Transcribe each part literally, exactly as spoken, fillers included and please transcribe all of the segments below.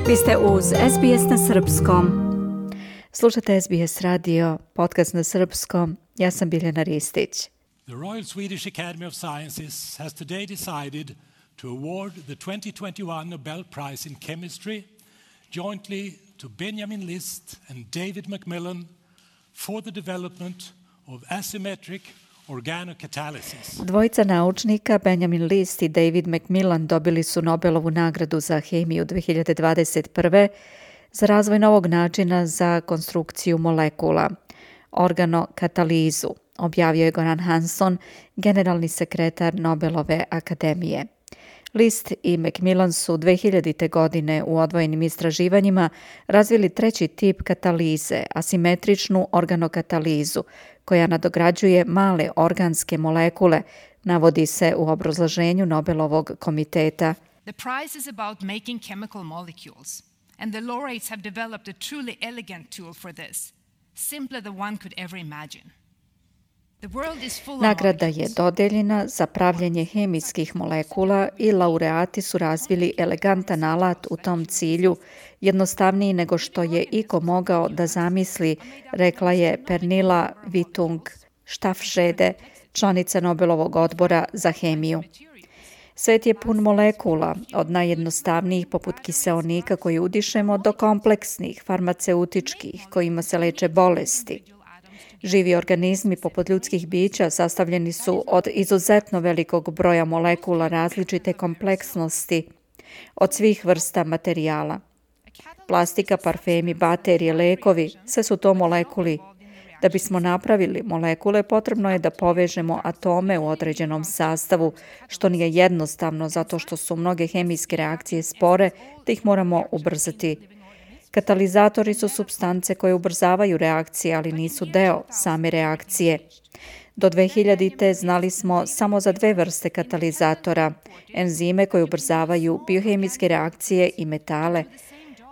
Vi ste uz S B S na srpskom. Slušate S B S radio, podcast na srpskom. Ja sam Biljana Ristić. The Royal Swedish Academy of Sciences has today decided to award the twenty twenty-one Nobel Prize in Chemistry jointly to Benjamin List and David Macmillan for the development of asymmetric organocatalysis. Dvojica naučnika, Benjamin List i David Macmillan, dobili su Nobelovu nagradu za hemiju dve hiljade dvadeset prve za razvoj novog načina za konstrukciju molekula, organokatalizu, objavio je Goran Hansson, generalni sekretar Nobelove akademije. List i Macmillan su dve hiljadite. godine u odvojenim istraživanjima razvili treći tip katalize, asimetričnu organokatalizu, koja nadograđuje male organske molekule, navodi se u obrazloženju Nobelovog komiteta. The prize is about making chemical molecules, and the laureates have developed a truly elegant tool for this, simpler than one could ever imagine. Nagrada je dodeljena za pravljenje hemijskih molekula i laureati su razvili elegantan alat u tom cilju, jednostavniji nego što je iko mogao da zamisli, rekla je Pernilla Witung-Staffschede, članica Nobelovog odbora za hemiju. Svet je pun molekula, od najjednostavnijih poput kiseonika koji udišemo do kompleksnih, farmaceutičkih, kojima se leče bolesti. Živi organizmi poput ljudskih bića sastavljeni su od izuzetno velikog broja molekula različite kompleksnosti, od svih vrsta materijala. Plastika, parfemi, baterije, lekovi, sve su to molekuli. Da bismo napravili molekule, potrebno je da povežemo atome u određenom sastavu, što nije jednostavno zato što su mnoge hemijske reakcije spore, da ih moramo ubrzati. Katalizatori su supstance koje ubrzavaju reakcije, ali nisu deo same reakcije. Do dve hiljadite. znali smo samo za dve vrste katalizatora, enzime koje ubrzavaju biohemijske reakcije i metale.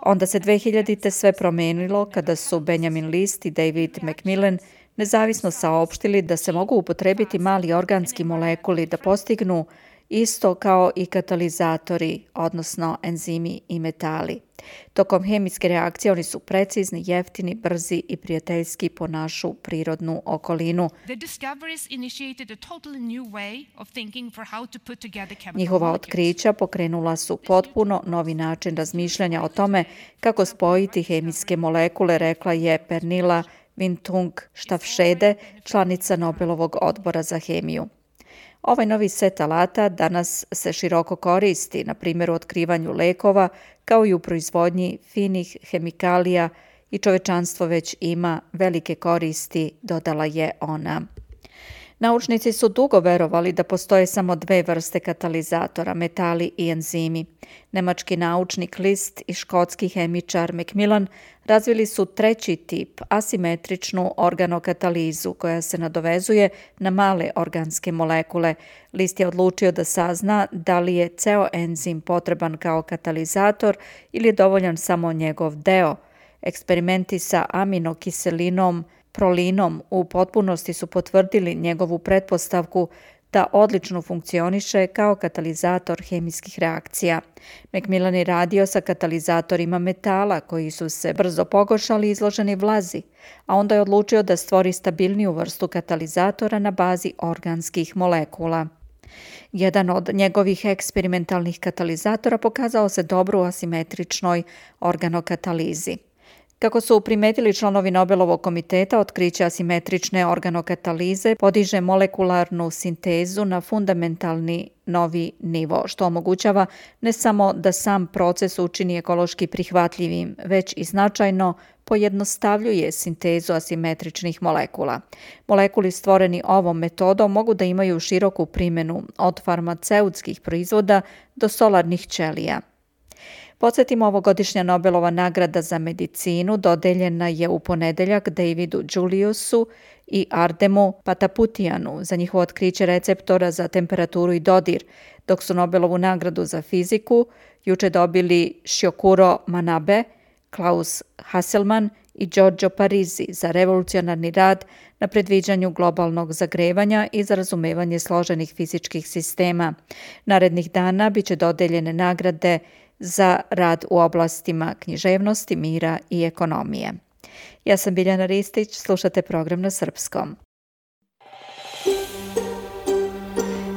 Onda se dve hiljadite. sve promenilo kada su Benjamin List i David Macmillan nezavisno saopštili da se mogu upotrebiti mali organski molekuli da postignu isto kao i katalizatori, odnosno enzimi i metali. Tokom hemijske reakcije oni su precizni, jeftini, brzi i prijateljski po našu prirodnu okolinu. Njihova otkrića pokrenula su potpuno novi način razmišljanja o tome kako spojiti hemijske molekule, rekla je Pernilla Witung-Staffschede, članica Nobelovog odbora za hemiju. Ovaj novi set alata danas se široko koristi, na primjer u otkrivanju lekova, kao i u proizvodnji finih hemikalija i čovečanstvo već ima velike koristi, dodala je ona. Naučnici su dugo verovali da postoje samo dve vrste katalizatora, metali i enzimi. Nemački naučnik List i škotski hemičar Macmillan razvili su treći tip, asimetričnu organokatalizu, koja se nadovezuje na male organske molekule. List je odlučio da sazna da li je ceo enzim potreban kao katalizator ili je dovoljan samo njegov deo. Eksperimenti sa aminokiselinom prolinom u potpunosti su potvrdili njegovu pretpostavku da odlično funkcioniše kao katalizator hemijskih reakcija. Macmillan je radio sa katalizatorima metala koji su se brzo pogoršali i izloženi vlazi, a onda je odlučio da stvori stabilniju vrstu katalizatora na bazi organskih molekula. Jedan od njegovih eksperimentalnih katalizatora pokazao se dobro u asimetričnoj organokatalizi. Kako su primetili članovi Nobelovog komiteta, otkriće asimetrične organokatalize podiže molekularnu sintezu na fundamentalni novi nivo, što omogućava ne samo da sam proces učini ekološki prihvatljivim, već i značajno pojednostavljuje sintezu asimetričnih molekula. Molekuli stvoreni ovom metodom mogu da imaju široku primjenu od farmaceutskih proizvoda do solarnih ćelija. Podsjetimo, ovogodišnja Nobelova nagrada za medicinu dodeljena je u ponedeljak Davidu Juliusu i Ardemu Pataputianu za njihovo otkriće receptora za temperaturu i dodir, dok su Nobelovu nagradu za fiziku juče dobili Shiokuro Manabe, Klaus Hasselmann i Giorgio Parisi za revolucionarni rad na predviđanju globalnog zagrevanja i za razumevanje složenih fizičkih sistema. Narednih dana biće dodeljene nagrade za rad u oblastima književnosti, mira i ekonomije. Ja sam Biljana Ristić, slušate program na srpskom.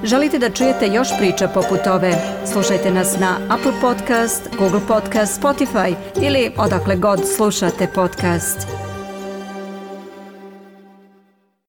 Želite da čujete još priča poput ove? Slušajte nas na Apple Podcast, Google Podcast, Spotify ili odakle god slušate podcast.